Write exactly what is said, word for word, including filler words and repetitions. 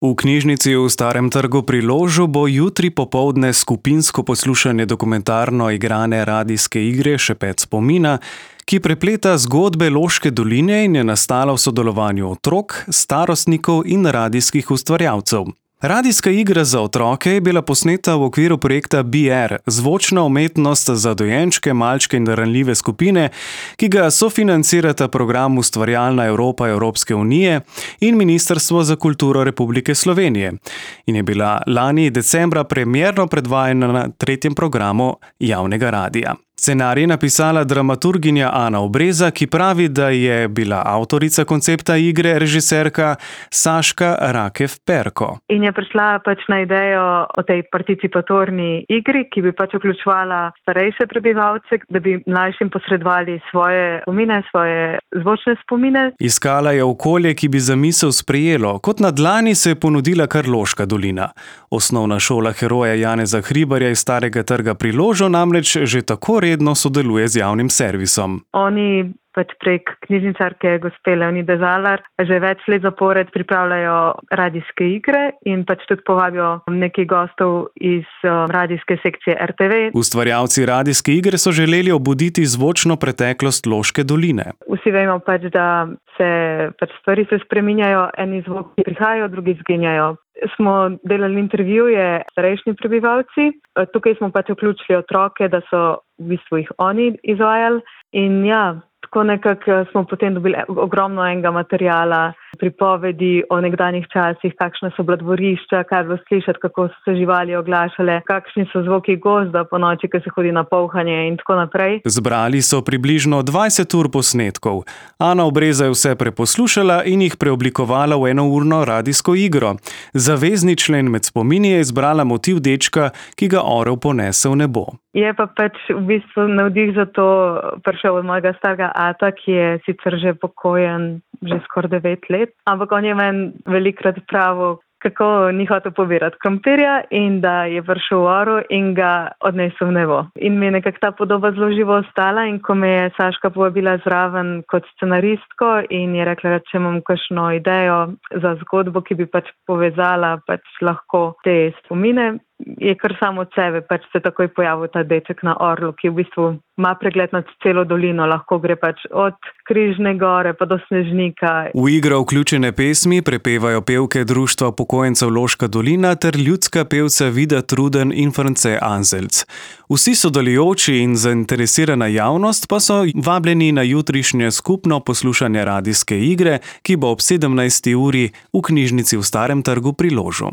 V knjižnici v Starem trgu pri Ložu bo jutri popoldne skupinsko poslušanje dokumentarno igrane radijske igre Šepet spomina, ki prepleta zgodbe Loške doline in je nastala v sodelovanju otrok, starostnikov in radijskih ustvarjalcev. Radijska igra za otroke je bila posneta v okviru projekta B R, zvočna umetnost za dojenčke, malčke in ranljive skupine, ki ga sofinancirata program Ustvarjalna Evropa Evropske unije in Ministrstvo za kulturo Republike Slovenije in je bila lani decembra premierno predvajana na tretjem programu javnega radija. Scenarij je napisala dramaturginja Ana Obreza, ki pravi, da je bila avtorica koncepta igre režiserka Saška Rakev-Perko. In je prišla pač na idejo o tej participatorni igri, ki bi pač vključevala starejše prebivalce, da bi mlajšim posredovali svoje spomine, svoje zvočne spomine. Iskala je okolje, ki bi zamisel sprejelo. Kot na dlani se je ponudila kar Loška dolina. Osnovna šola heroja Janeza Hribarja iz Starega trga pri Ložu namreč že tako redno sodeluje z javnim servisom. Oni pač prek knjižničarke gospe Leonide Zalar že več let zapored pripravljajo radijske igre in pač tudi povabijo nekaj gostov iz radijske sekcije R T V. Ustvarjalci radijske igre so želeli obuditi zvočno preteklost Loške doline. Vsi vemo pač, da se pač stvari se spreminjajo, eni zvoki prihajajo, drugi izginjajo. Smo delali intervjuje s starejšimi prebivalci, tukaj smo pač vključili otroke, da so v bistvu jih oni izvajali in ja, tako nekako smo potem dobili ogromno enega materiala, pripovedi o nekdanjih časih, kakšne so bila dvorišča, kaj bilo slišati, kako so se živali oglašale, kakšni so zvoki gozda po noči, ko se hodi na polhanje in tako naprej. Zbrali so približno dvajset ur posnetkov. Ana Obreza je vse preposlušala in jih preoblikovala v enourno radijsko igro. Zavezni člen med spomini je izbrala motiv dečka, ki ga orel ponese v nebo. Je pa pač v bistvu navdih za to prišel od mojega starega ata, ki je sicer že pokojen že skoraj devet let, ampak on je meni velikrat pravil, kako ni hotel pobirati krompirja in da je prišel v oru in ga odnesel v nebo. In mi je nekako ta podoba zelo živo ostala in ko me je Saška povabila zraven kot scenaristko in je rekla, da če imam kakšno idejo za zgodbo, ki bi pač povezala pač lahko te spomine, je kar samo od sebe, pač se takoj pojavil ta deček na orlu, ki v bistvu ima pregled nad celo dolino, lahko gre pač od Križne gore pa do Snežnika. V igro vključene pesmi prepevajo pevke Društva upokojencev Loška dolina ter ljudska pevca Vida Truden in France Anzelc. Vsi sodelujoči in zainteresirana javnost pa so vabljeni na jutrišnje skupno poslušanje radijske igre, ki bo ob sedemnajsti uri v knjižnici v Starem trgu pri Ložu.